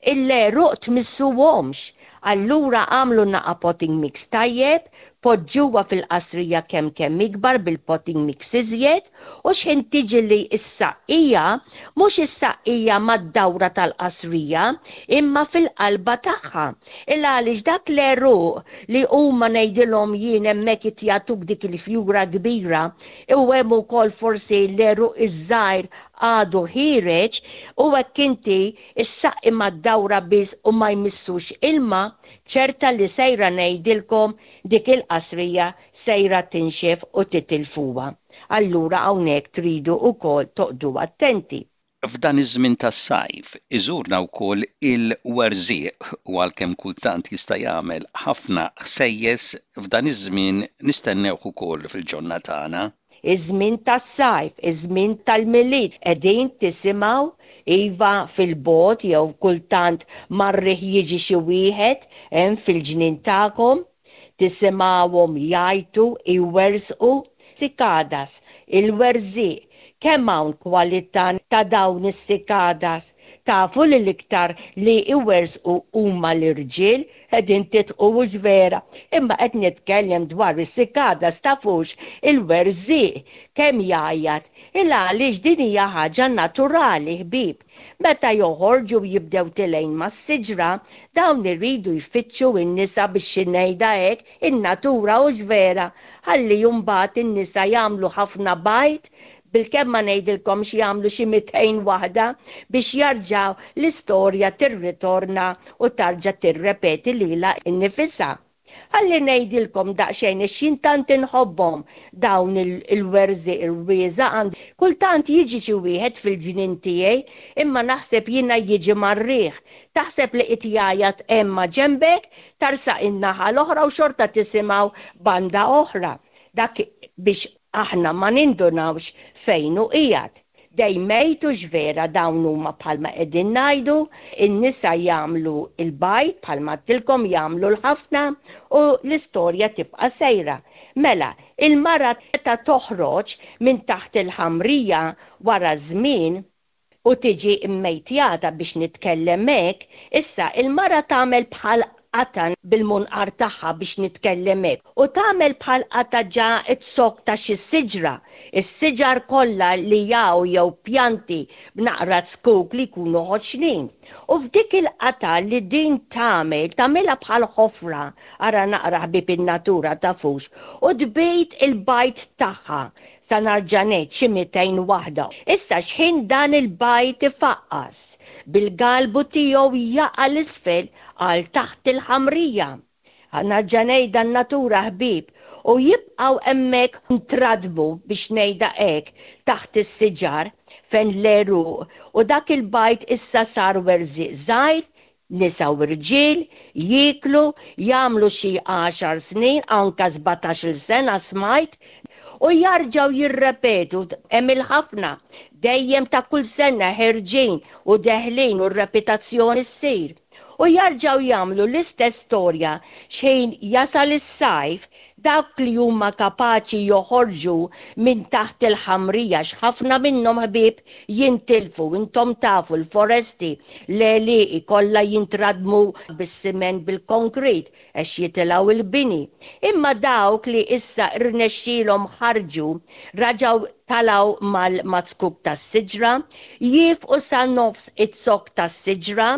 il-għeruq tmissuhomx. Allura għamlu naqa potting mix tajjeb, poġġuha fil-qasrija kemm kemm ikbar bil-potting mix iżjed, u x'ħin tiġi li s-saqqija, mhux is-saqqija mad-dawra tal-qasrija, imma fil-qalba tagħha. Il għaliex dak l-għeruq li huma ngħidilhom jien hemmhekk jagħtuk dik il-fjura kbira, u hemm ukoll forsi l-għeruq iż-żgħir għadu ħiereġ, u hekk inti issaqqi mad-dawra biss u ma jmissux ilma, ċerta li sejra ngħidilkom dik il-qasrija sejra tinxef u titilfuha. Allura hawnhekk tridu wkoll toqgħdu attenti. F'dan iż-żmien tas-sajf iżurna wkoll il-werżieq u għalkemm kultant jista' jagħmel ħafna ħsejjes f'dan iż-żmien nistennewh ukoll fil-ġonna tagħna. Iż-żmien tas-sajf, iż-żmien tal-Milied, qegħdin tisimgħu iva fil-bogħod jew kultant mar-riħ jiġi xi wieħed hemm fil-ġnien tagħkom, tisimgħuhom jgħajtu, iwersqu, sikadas, il-werżieq. Kemm hawn kwalità ta' dawn is-sikadas? Tafu li l-iktar li iwersqu huma l-irġiel, qegħdin titqu hux vera, imma qed nitkellem dwar is-sikadas tafux il-werżieq kemm jgħajjat, il għaliex din hija ħaġa naturali ħbieb. Meta joħorġu jibdew tilejn mas-siġra, dawn iridu jfittxu n-nisa biex ngħidha hekk, in-natura hux vera, ħalli mbagħad in-nisa jagħmlu ħafna bajd, bil-kemm ma ngħidilkomx jagħmlu xi mitejn waħda biex jarġaw l-istorja tirritorna u tarġa' tirrepeti lilha nnifisha. Ħalli ngħidilkom daqsxejn għax jien tant inħobbhom dawn il-werżieq ir-rwieża għand kultant jiġi xi wieħed fil-ġnien tiegħi, imma naħseb jiena jiġi mar-riħ. Taħseb li qed jgħajjat hemm ma' ġenbek, tarsaq in-naħa l-oħra u xorta tisimgħu banda oħra. Dak biex aħna ma nindunawx fejn hu qiegħed. Dejjem hux vera dawn huma bħalma qegħdin ngħidu, in-nisa jagħmlu l-bajd bħalma għedtilkom jagħmlu l-ħafna u l-istorja tibqa' sejra. Mela, il-mara ta' toħroġ minn taħt il-ħamrija wara żmien u tiġi mmejtjata biex nitkellem hekk, issa il-mara tagħmel bħal qata bil-munqar tagħha biex nitkellem hekk, u tagħmel bħal qata ġa t-sok ta' xi siġra, is-siġar kollha li jaw jew pjanti b'naqra zkuk li jkunu ħoxnin. U f'dik il-qata li din tagħmel, tagħmilha bħal ħofra, ara naqra ħbieb in-natura tafux, u tbejt il-bajd tagħha sa narġa' ngħid xi mitejn waħda. Issa x'ħin dan il-bajd ifaqqas, bil-galbu tiegħu jaqa' l-isfel għal taħt il-ħamrija. Nerġa' ngħidha n-natura ħbieb, u jibqgħu hemmhekk ntradmu biex ngħidha hekk taħt is-siġar fejn l-għeruq, u dak il-bajd issa sar werżieq żgħir, nisa u rġiel, jieklu, jagħmlu xi għaxar snin, anka sbatax-il sena smajt, u jarġgħu jirrepetu, hemm il-ħafna, dejjem ta' kull sena ħerġin u deħlin u r-repetizzjoni ssir. U jarġgħu jagħmlu l-istess storja xejn jasal is-sajf, Dawk li huma kapaċi joħorġu minn taħt il-ħamrija, x'ħafna minnhom ħbieb jintilfu, intom tafu l-foresti, l-għelieqi kollha jintradmu bis-siment bil-konkrit għax jitilgħu il-bini. Imma dawk li issa rnexxielhom ħarġu, raġgħu talgħu mal-zkuk tas-siġra, jifqu sa nofs iz-zokk tas-siġra,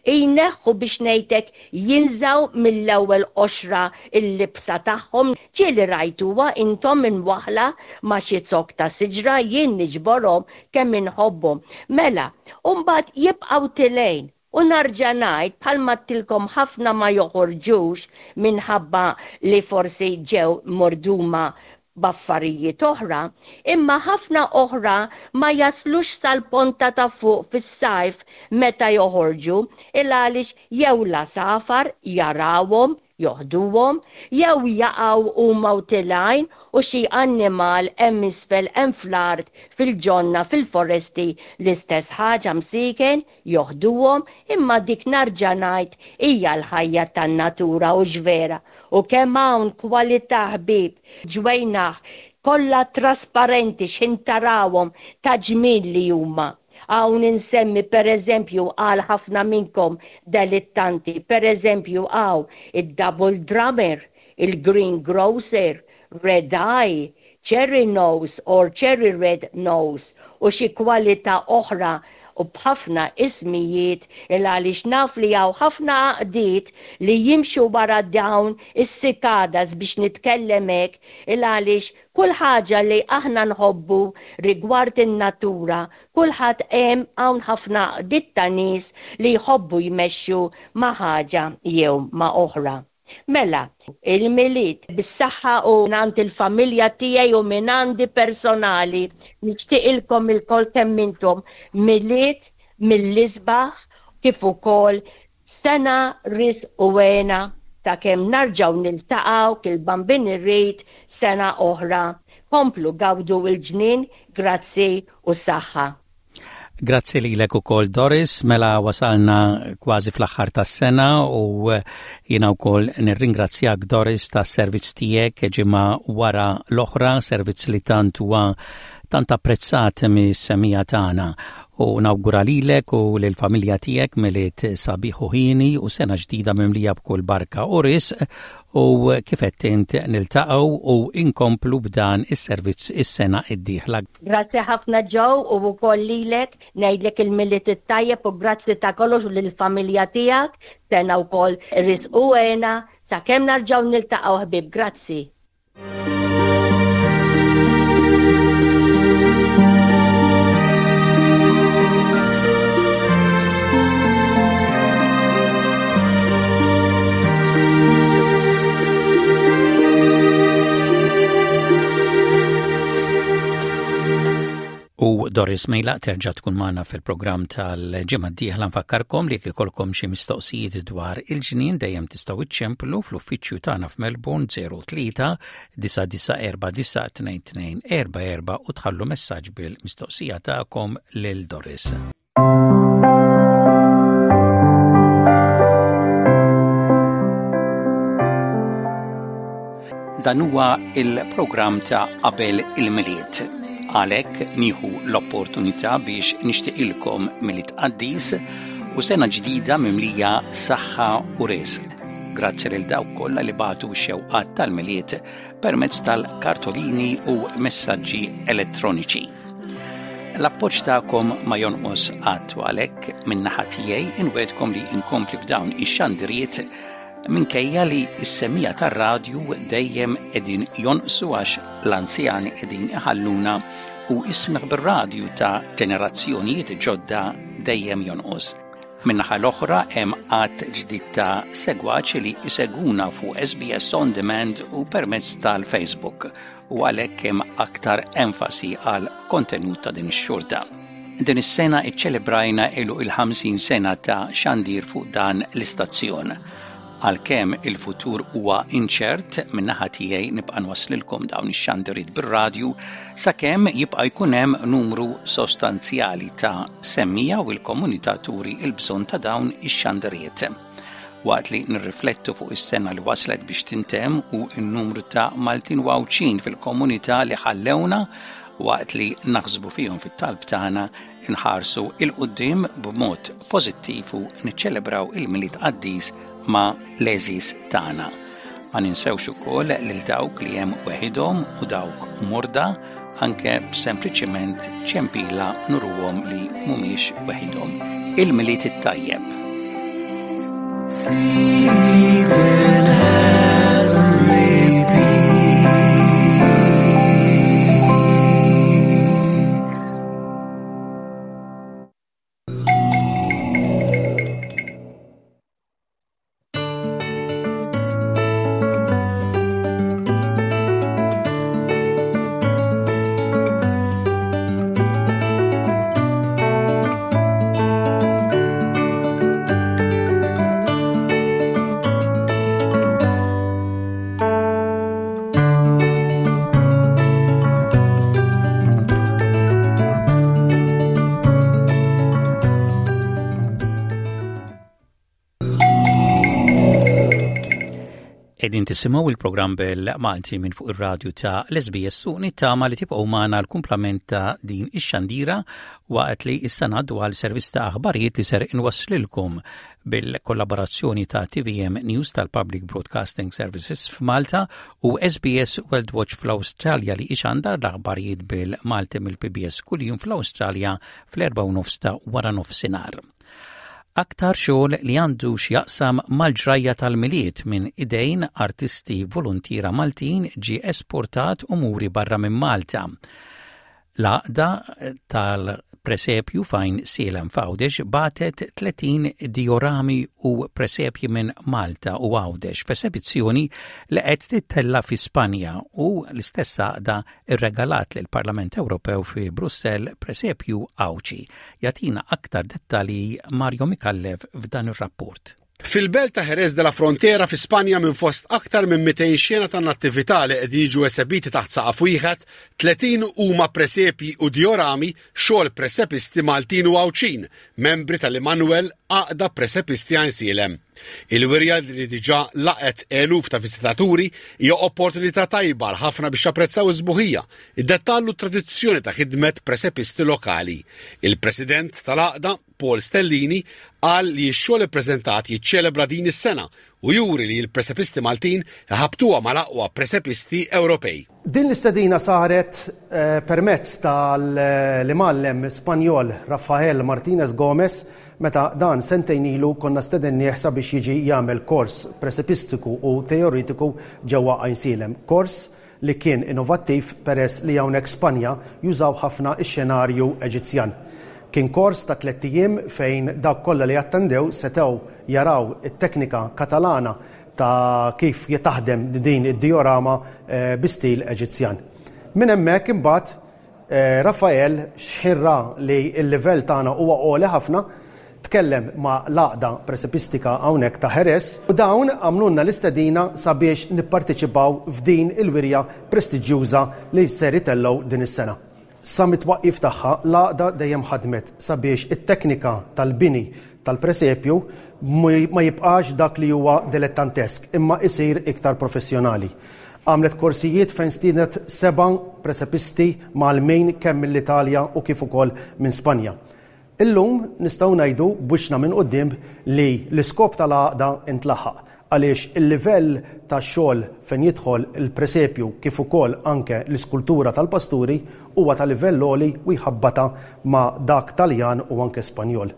jneħħu biex ngħidlek jinżgħu mill-ewwel qoxra l-libsa tagħhom. Ġieli rajtuha intom imwaħħla ma' xi zokk ta' siġra, jien niġborhom kemm inħobbhom. Mela, u mbagħad jibqgħu tilgħin. U narġa' ngħid bħalma għedtilkom ħafna ma joħorġux minħabba li forsi ġew morduma b'affarijiet oħra, imma ħafna oħra ma jaslux sal-ponta ta' fuq fis-sajf meta joħorġu il għaliex jew l-għasafar jarawhom joħduhom, jew jaqgħu huma u tilgħin u xi annimal hemm isfel hemm fl-art fil-ġonna fil-foresti l-istess ħaġa msieken joħduhom, imma dik narġa' ngħid hija l-ħajja tan-natura u x'vera. U kemm hawn kwalità ħbieb ġwejnaħ kollha trasparenti x'ħin tarawhom ta' ġmiel li huma. Hawn insemmi per eżempju għal ħafna minnkom delittanti, per eżempju hawn id-double drummer, il-green grocer, red eye, cherry nose or cherry red nose u xi kwalità oħra u b'ħafna ismijiet il għaliex naf li hawn ħafna għaqdiet li jimxu wara dawn is-cicadas biex nitkellem hekk il għaliex kull ħaġa li aħna nħobbu rigward in-natura, kulħadd hemm hawn ħafna għaqdiet ta' nies li jħobbu jmexxu ma' ħaġa jew ma' oħra. Mela, il-Milied bis-saħħa u mingħand il-familja tiegħi u minn għandi personali, nixtieqilkom ilkoll kemm intom Milied mill-isbaħ kif ukoll sena risq u hena ta' kemm narġgħu niltaqgħu kil Bambin irrid sena oħra. Komplu gawdu l-ġnien, grazzi u saħħa. Grazzi lilek ukoll Doris, mela wasalna kważi fl-aħħar tas-sena u jiena wkoll nirringrazzjak Doris tas-servizz tiegħek ġimgħa wara l-oħra, servizz li tant huwa tant apprezzat mis-semmiegħa tagħna. U nawgura lilek u lill-familja tiegħek Milied sabiħ u hieni u sena ġdida mimlija b'kull barka u risq u kif qed int niltaqgħu u inkomplu b'dan is-servizz is-sena d-dieħla. Grazzi ħafna Joe u wkoll lilek ngħidlek il-Milied it-tajjeb u grazzi ta' kollox u lill-familja tiegħek, sena wkoll risq u hena sakemm narġgħu niltaqgħu ħbieb, grazzi. U Doris Mejlaq terġa' tkun magħna fil-programm tal-ġimgħa d-dieħla. Nfakkarkom li jekk ikollkom xi mistoqsijiet dwar il-ġnien dejjem tistgħu iċċemplu fl-uffiċċju tagħna f'Melbourne zero tlieta disa' disa' erba' disa' tnejn tnejn erba' erba' u tħallu messaġġ bil-mistoqsija tagħkom lil Doris. Dan huwa il-programm ta' qabel il-Milied. Għalhekk nieħu l-opportunità biex nixtieqilkom Milied qaddis u sena ġdida mimlija saħħa u risq. Grazzi lil dawk kollha li bagħtu xewqat tal-Milied permezz tal-kartolini u messaġġi elettroniċi. L-appoġġ tagħkom ma jonqos qatt u għalhekk min-naħa tiegħi inwegħedkom li inkompli b'dawn ix-xandiriet minkejja li s-semmiegħa tar-radju dejjem qegħdin jonqsu għax l-anzjani qegħdin iħalluna u is-smigħ bir-radju ta' ġenerazzjonijiet ġodda dejjem jonqos. Min-naħa l-oħra hemm għadd ġdid ta' segwaċi li jsegwuna fuq S B S On Demand u permezz tal-Facebook u għalhekk hemm aktar enfasi għal kontenut ta' din ix-xorta. Din is-sena iċċelebrajna ilu il-ħamsin sena ta' xandir fuq dan l-istazzjon. Għalkemm il-futur huwa inċert, min-naħa tiegħi nibqa' nwasslilkom dawn ix-xandiriet bir-radju sakemm jibqa' jkun hemm numru sostanzjali ta' semmiegħa u l-komunità turi l-bżonn ta' dawn ix-xandiriet. Waqt li nirriflettu fuq is-sena li waslet biex tintemm u n-numru ta' Maltin u Għawdxin fil-komunità li ħallewna waqt li naħsbu fihom fit-talb tagħna nħarsu 'l quddiem b'mod pożittiv u niċċelebraw il-Milied qaddis ma' l-għeżież tagħna. Ma ninsewx ukoll lil dawk li hemm weħidhom u dawk morda anke sempliċiment ċempila nuruhom li mhumiex weħidhom. Il-Milied it-tajjeb. Sleep in heavenly peace. Qegħdin tisimgħu il-programm bil-Malti minn fuq ir-radju ta' l-SBS u nittama li tibqgħu magħna l-kumplament ta' din ix-xandira waqt li issa ngħaddu għal servizz ta' aħbarijiet li ser inwasslilkom bil-kollaborazzjoni ta' TVM News tal-Public Broadcasting Services f'Malta u SBS World Watch fl-Awstralja li ixandar l-aħbarijiet bil-Malti mill-PBS kuljum fl-Awstralja fl-erba' u nofs ta' wara nofsinhar. Aktar xogħol li għandu x'jaqsam mal-ġrajja tal-Milied minn idejn artisti volontiera Maltin ġi esportat u muri barra minn Malta. L-għaqda tal-presepju f'Għajnsielem f'Għawdex bagħtet tletin diorami u presepji minn Malta u Għawdex f'esebizzjoni li qed tittella fi Spanja u l-istess għaqda irregalat lill Parlament Ewropew fi Brussell presepju Għawdxi. Jagħtina aktar dettalji Mario Micallef f'dan ir-rapport. Fil-belt ta' Jerez de la Frontera fi Spanja minn fost aktar minn mitejn xena ta' nattività li qed jiġu esebiti taħt saqaf wieħed, tletin huma presepji u diorami xogħol presepisti Maltin u Għawdxin, membri tal-Immanuel Għaqda Presepisti Għajnsielem. Il-wirja li diġà laqet eluf ta' viżitaturi hija opportunità tajba għal ħafna biex japprezzaw iż-sbuħija, id-dettall u tradizzjoni ta' ħidmet presepisti lokali. Il-President tal-Għaqda, Paul Stellini, qal li x-xogħol ippreżentat jiċċelebra din is-sena u juri li l-presepisti Maltin ħabtuha mal-aqwa presepisti Ewropej. Din l-istedina saret eh, permezz tal-imgħallem Spanjol Rafael Martinez Gomez meta dan sentejn ilu konna stedennieh sabiex jiġi jagħmel kors presepistiku u teoretiku ġewwa Għajnsielem. Kors li kien innovattiv peress li hawnhekk Spanja jużaw ħafna ix-xenarju Eġizzjan. Kien kors ta' tlett ijiem fejn dawk kollha li attendew setgħu jaraw it-teknika Katalana ta' kif taħdem din id-diorama eh, bi stil Eġizzjan. Minn hemmhekk imbagħad eh, Rafael x'ħin ra li l-livell tagħna huwa għoli ħafna, tkellem ma' l-għaqda presepistika hawnhekk ta' Jerez u dawn għamlulna l-istedina sabiex nipparteċipaw f'din il-wirja prestiġjuża li ser itellgħu din is-sena. Sa mit-twaqqif tagħha l-għaqda dejjem ħadmet sabiex it-teknika tal-bini tal-presepju ma jibqax dak li huwa dilettantesk imma isir iktar professjonali. Għamlet korsijiet fejn stienet seba' presepisti mgħallmin kemm mill-Italja u kif ukoll minn Spanja. Illum nistgħu ngħidu b'wiċċna minn quddiem li l-iskop tal-għaqda intlaħaq għaliex il-livell ta' xogħol fejn jidħol il-presepju kif ukoll anke l-iskultura tal-pasturi huwa ta' livell għoli u jħabbata ma' dak Taljan u anke Spanjol.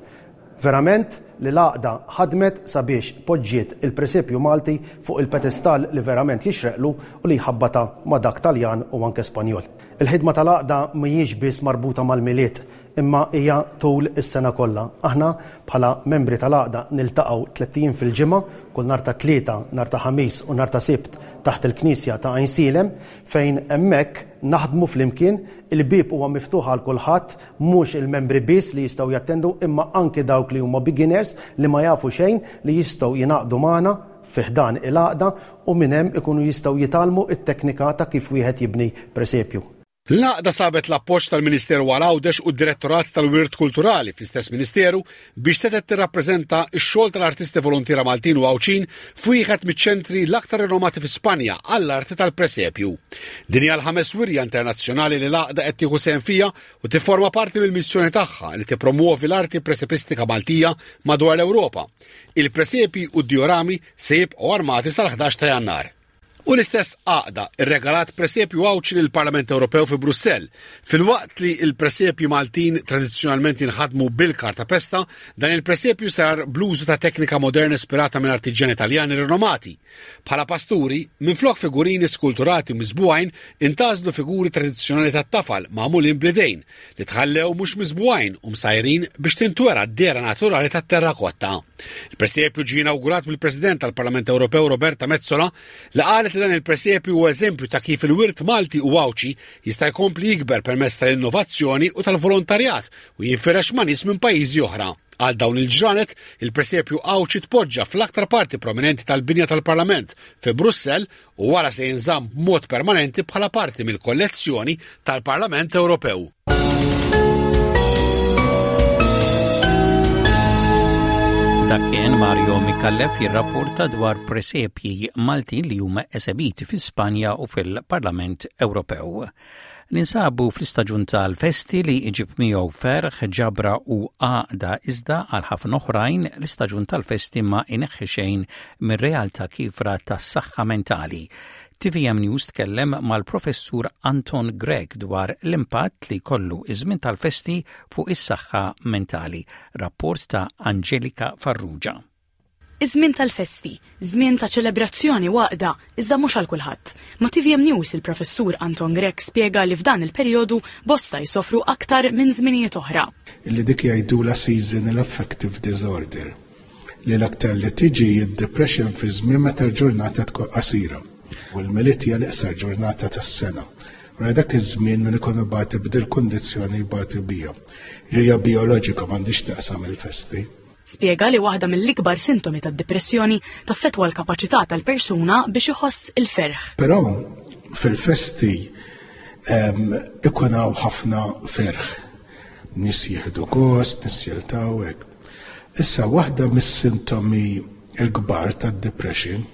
Verament li l-għaqda ħadmet sabiex poġġiet il-presepju Malti fuq il-pedestal li verament jixreqlu u li jħabbata ma' dak Taljan u anke Spanjol. Il-ħidma tal-għaqda mhijiex biss marbuta mal-Milied, imma hija tul is-sena kollha. Aħna bħala membri tal-għaqda niltaqgħu tlett ijiem fil-ġimgħa, kull nhar ta' Tlieta, nhar ta' Ħamis u nhar ta' Sibt taħt il-Knisja ta' Għajnsielem, fejn hemmhekk naħdmu flimkien, il-bieb huwa miftuħ għal kulħadd, mhux il-membri biss li jistgħu jattendu, imma anke dawk li huma beginners li ma jafu xejn li jistgħu jingħaqdu magħna fi ħdan il-għaqda u minn hemm ikunu jistgħu jitgħallmu it-teknika ta' kif wieħed jibni presepju. L-għaqda sabet l-appoġġ tal-Ministeru għal Għawdex u d-Direttorat tal-Wirt Kulturali fl-istess Ministeru biex setet tirrappreżenta x-xogħol tal-artisti volontiera Maltin u Għawdxin f'wieħed miċ-ċentri l-aktar renomati fi Spanja għall-arti tal-presepju. Din hija l-ħames wirja internazzjonali li l-għaqda qed tieħu sehem fiha u tifforma parti mill-missjoni tagħha li tippromuovi l-arti presepistika Maltija madwar l-Ewropa. Il-presepi u d-diorami se jibqgħu armati sal-ħdax ta' Jannar. U l-istess għaqda irregalat presepju Għawdxi lill-Parlament Ewropew fi Brussell. Filwaqt li il-presepji Maltin tradizzjonalment jinħadmu bil-karta pesta, dan il-presepju sar bl-użu ta' teknika moderna ispirata minn artiġjani Italjani rinomati. Bħala pasturi, minflok figurini skulturati u miżbugħin, intgħażlu figuri tradizzjonali tat-tafal magħmulin bl-idejn li tħallew mhux miżbugħin u msajrin biex tintwera d-dehra naturali tat-terrakotta. Il-presepju ġie inawgurat mill-President tal-Parlament Ewropew Roberta Metsola, li qalet li dan il-presepju huwa eżempju ta' kif il-wirt Malti u Għawdxi jista' jkompli jikber permezz tal-innovazzjoni u tal-volontarjat u jinfirex ma' nies minn pajjiżi oħra. Għal dawn il-ġranet, il-presepju Għawdxi tpoġġa fl-aktar parti prominenti tal-binja tal-Parlament fi Brussell u wara se jinżamm b'mod permanenti bħala parti mill-kollezzjoni tal-Parlament Ewropew. Dak kien Mario Micallef jirrapporta dwar presepji Maltin li huma esebiti fi Spanja u fil-Parlament Ewropew. Ninsabu fl-istaġun tal-festi li iġib miegħu ferħ, ġabra u għaqda, iżda għal ħafna oħrajn l-istaġun tal-festi ma ineħħi xejn mir-realtà kiefra tas-saħħa mentali. T V M News tkellem mal-professur Anton Grech dwar l-impatt li jkollu iż-żmien tal-festi fuq is-saħħa mentali. Rapport ta' Angelika Farrugia. Iż-żmien tal-festi, żmien ta' ċelebrazzjoni u għaqda, iżda mhux għal kulħadd. Ma' T V M News, il-professur Anton Grech spjega li f'dan il-perjodu bosta jsofru aktar minn żminijiet oħra. Illi dik jgħidula seasonal affective disorder, li l-aktar li tiġi id-depression fi żmien meta l-ġurnata tkun qasira. U l-Milied hija l-iqsar ġurnata tas-sena. Wara dak iż-żmien min ikun ibati b'dil kundizzjoni jbati biha. Hija bioloġika, m'għandix taqsam il-festi. Spjega li waħda mill-ikbar sintomi tad-depressjoni taffetwa l-kapaċità tal-persuna biex iħoss il-ferħ. Però fil-festi ikun hawn ħafna ferħ. Nies jieħdu gost, nies jiltaqgħu hekk. Issa, waħda mis-sintomi l-kbar tad-depression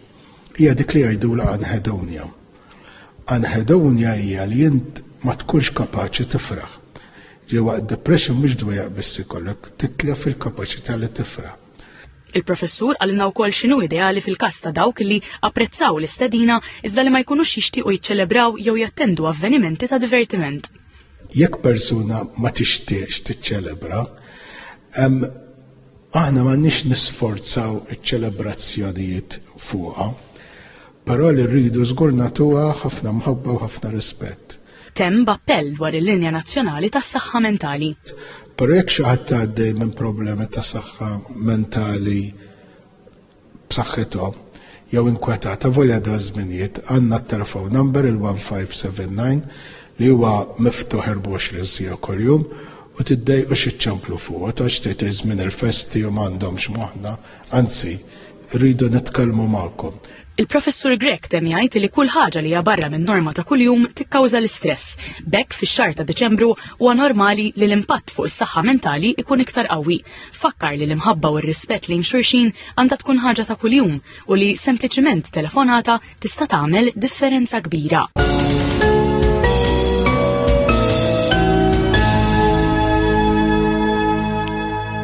hija dik li jgħidula anhedonia. Anhedonia hija li int ma tkunx kapaċi tifraħ. Ġewwa depression mhux dwejjaq biss ikollok, titlef il-kapaċità li tifraħ. Il-professur qalilna wkoll x'inhu ideali fil-każ ta' dawk li apprezzaw l-istedina iżda li ma jkunux jixtiequ jiċċelebraw jew jattendu avvenimenti ta' divertiment. Jekk persuna ma tixtieqx tiċċelebra, aħna m'għandniex nisforzaw iċ-ċelebrazzjonijiet fuqha, però li rridu żgur nagħtuha ħafna mħabba u ħafna rispett. Temm b'appell dwar il-linja nazzjonali tas-saħħa mentali. Però jekk xi ħadd għaddej minn problemi ta' saħħa mentali b'saħħithom jew inkwetata, volja da żminijiet għandna t-telephone number il-one five seven nine li huwa miftuħ erbgħa u għoxrin siegħa kuljum u tiddejqux iċċemplu fuq, għax tgħid żmien il-festi u m'għandhomx moħħna, anzi, rridu nitkellmu magħkom. Il-professur Grech temm jgħid li kull ħaġa li hija barra minn norma ta' kuljum tikkawża l-istress. B'hekk fix-xahar ta' Deċembru huwa normali li l-impatt fuq is-saħħa mentali ikun iktar qawwi. Fakkar li l-imħabba u r-rispett lejn xulxin għandha tkun ħaġa ta' kuljum u li sempliċiment telefonata tista' tagħmel differenza kbira.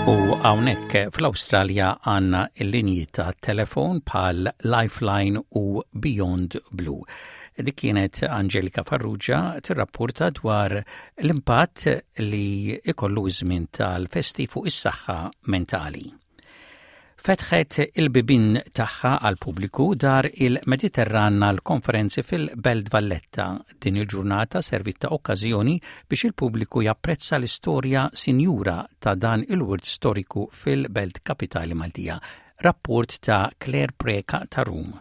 U hawnhekk fl-Awstralja għandna l-linji ta' telefon bħal Lifeline u Beyond Blue. Dik kienet Angelika Farrugia tirrapporta dwar l-impatt li ikollu żmien tal-festi fuq is-saħħa mentali. Fetħet il-bibin tagħha għal pubbliku Dar il-Mediterran għal konferenzi fil-Belt Valletta. Din il-ġurnata servit ta' okkażjoni biex il-pubbliku japprezza l-istorja sinjura ta' dan il-wirt storiku fil-Belt Kapitali Maltija. Rapport ta' Claire Preka ta' Rum.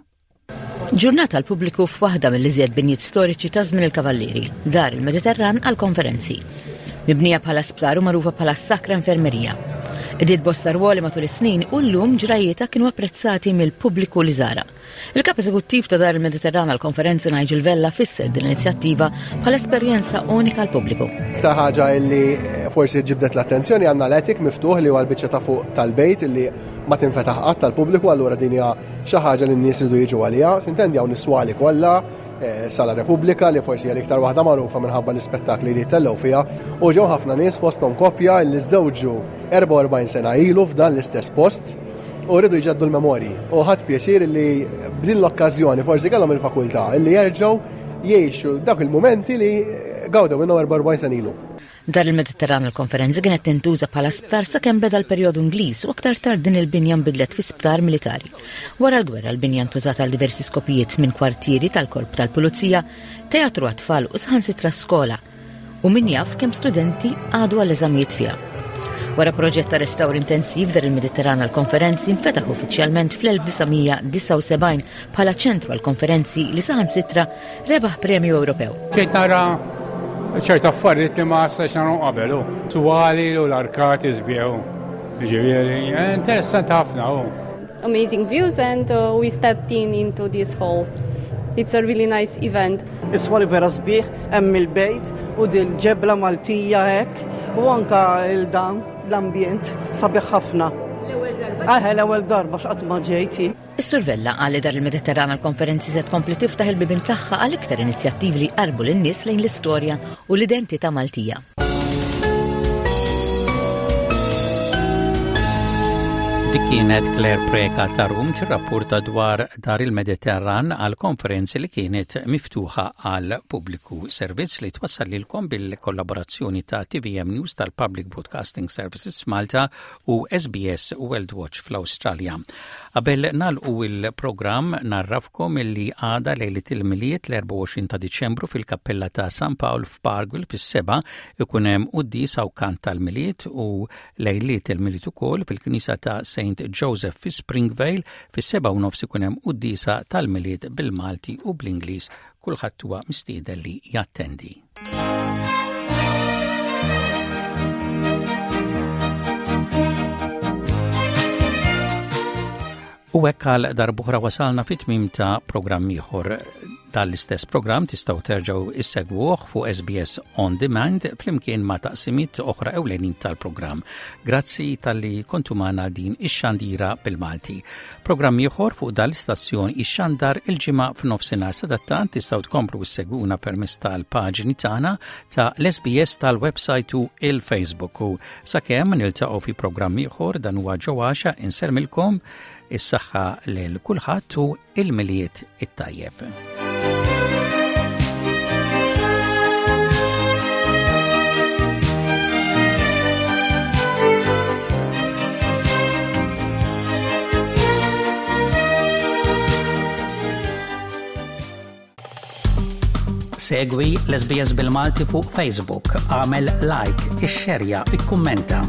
Ġurnata għal pubbliku f'waħda mill-iżjed binjiet storiċi ta' żmien il-Kavallieri, Dar il-Mediterran għal konferenzi. Mibnija bħala sptar u magħrufa bħala Sacra Infermeria. Qdiet bosta rwoli matul is-snin u llum ġrajietha kienu apprezzati mill-pubbliku li żara. Il-kap eżekuttiv ta' Dar il-Mediterran għal konferenzi Nigel Vella fisser din l-inizjattiva bħala esperjenza unika għal pubbliku. Ta' ħaġa illi forsi ġibdet l-attenzjoni, għandna l-attic miftuħ li huwa l-biċċa ta' fuq tal-bejt illi ma tinfetaħ qatt tal-pubbliku, allura din hija xi ħaġa li n-nies iridu jiġu għaliha. Sintendi, hawn is-swali kollha, eh, Sala Repubblika li forsi hija l-iktar waħda magħrufa minħabba l-ispettakli li tellgħu fiha, u ġew ħafna nies, fosthom koppja li żewġu erbgħa u erbgħin sena ilu f'dan l-istess post u rridu jġeddu l-memorji. U ħadt pjaċir li b'din l-okkażjoni forsi kellhom il-fakultà li jerġgħu jgħixu dak il-momenti li gawdew minnhom erbgħa u erbgħin sena ilu. Dar il-Mediterran il-konferenzi kienet tintuża bħala sptar sakemm beda l-perjodu Ingliż u aktar tard din il-binja nbidlet fi sptar militari. Wara l-gwerra l-binja ntużat għal diversi skopijiet, minn kwartieri tal-korp tal-pulizija, teatru għat-tfal u saħansitra skola. U min jaf kemm studenti għadu għall-eżamijiet fiha. Wara proġett ta' restawr intensiv, Dar il-Mediterran għal konferenzi nfetaħ uffiċjalment fl-elf disa' mija disgħa u sebgħin bħala ċentru għal konferenzi li saħansitra rebaħ premju Ewropew. ġejt nara ċerta affarijiet li ma stajtx narahom qabel, u swali u l-arkati sbieħ. Ġifieri, interessanti ħafna u. Amazing views and uh, we stepped in into this hall. It's a really nice event. Is-swali vera sbieħ, hemm il-bejt u dil-ġebla Maltija hekk u anka il-dan l-ambjent sabiħ ħafna. L-ewwel darba? Ah, l-ewwel darba, x'qatt ma ġejti. Is-Sur Vella qal li Dar il-Mediterran għal konferenzi se tkompli tiftaħ il-bibien tagħha għal iktar inizjattivi li jqarbu lin-nies lejn l-istorja u l-identità Maltija. Dik kienet Claire Preka ta' Rum tirrapporta dwar Dar il-Mediterran għal konferenzi li kienet miftuħa għal pubbliku. Servizz li twassal lilkom bil-kollaborazzjoni ta' T V M News tal-Public Broadcasting Services Malta u S B S World Watch fl-Awstralja. Qabel nagħlqu il-programm, ngħarrafkom illi għada lejlit il-Milied, l-erbgħa u għoxrin ta' Diċembru, fil-Kappella ta' San Pawl f'Parkville fis-sebgħa ikun hemm quddiesa u kant tal-Milied, u lejliet il-Milied ukoll fil-Knisa ta' Saint Joseph fi Springvale fis-sebgħa u nofs ikun hemm quddiesa tal-Milied bil-Malti u bl-Ingliż. Kulħadd huwa mistieden li jattendi. U hekk għal darb'oħra wasalna fit-tmim ta' programm ieħor. Dal-istess programm tistgħu terġgħu issegwuh fuq S B S On Demand flimkien ma' taqsimiet oħra ewlenin tal-programm. Grazzi talli kontu magħna din ix-xandira bil-Malti. Programm ieħor fuq dal-istazzjon ixxandar il-Ġimgħa f'nofsinhar. Sadattant tistgħu tkomplu issegwuna permezz tal-paġni tagħna ta' l-S B S, tal-website u il-Facebook. U sakemm niltaqgħu fi programm ieħor, dan huwa ġewwaxa insellmilkom, is-saħħa lil kulħadd u il-Milied it-tajjeb. Segwi l-S B S bil-Malti fuq Facebook, għamel like, ixxerja, ikkummenta.